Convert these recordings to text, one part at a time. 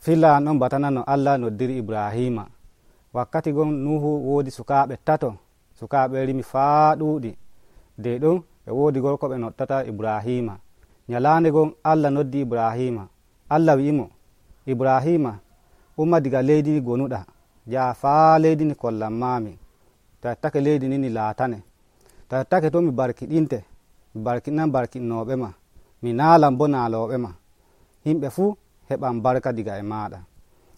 filla an ɗon batana no Allah noddiri Ibrahima. Wakkati gon Nuhu woodi sukaaɓe tato, sukaaɓe rimi faa ɗuuɗi. De ɗon e woodi gorko ɓe noddata Ibrahima. Nyalaande gon Allah noddi Ibrahima. Allah wi'imo, Ibrahima, umma diga leydi gonuɗa, jaha faa leydi ni kollanmaami. To a yottake leydi ni laatane. To a yottake to mi barkiɗinte, mi barkiɗinan barkiɗinooɓe ma, mi naalan bo naalooɓe ma. Himɓe fuu heɓan barka diga e maaɗa.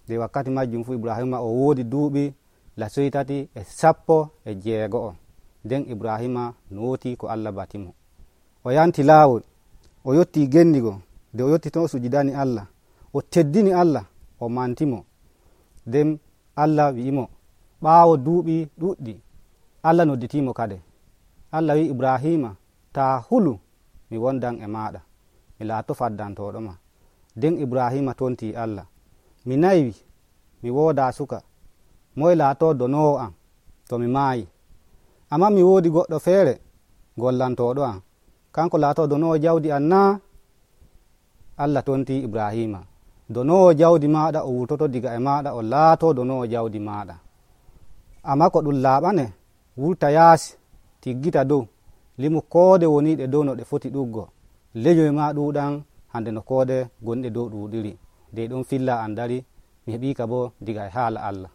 De wakkati majjum fuu Ibrahima o woodi duuɓi lasoytati e 160. Nden Ibrahima nootii ko Allah batimo. O yanti laawol, o yottii gendigo. De o yotti ton o sujidani Allah, o teddini Allah, o mantimo. Nden Allah wi'imo ɓaawo duuɓi ɗuɗɗi, Allah nodditiimo kade. Allah wi'i Ibrahima, taa hulu, mi wondan e maaɗa, mi laato faddantooɗo ma. Nden Ibrahima tontii Allah, mi nayi, mi woodaa suka, moye laatoo donoowo am to mi maayi. Ammaa mi woodi goɗɗo feere gollantooɗo am, kanko laatoo donoowo jawdi am naa? Allah tontii Ibrahima, donoowo jawdi maaɗa o wurtoto diga e maaɗa o laatoo donoowo jawdi maaɗa. Ammaa ko ɗum laaɓane, wurta yaasi, tiggita dow, limu koode woniiɗe dow no ɗe foti ɗuggo. Leñoy maa ɗuuɗan hande no koode gonɗe dow ɗuuɗiri. De ɗon filla an dari, mi heɓiika bo diga e haala Allah.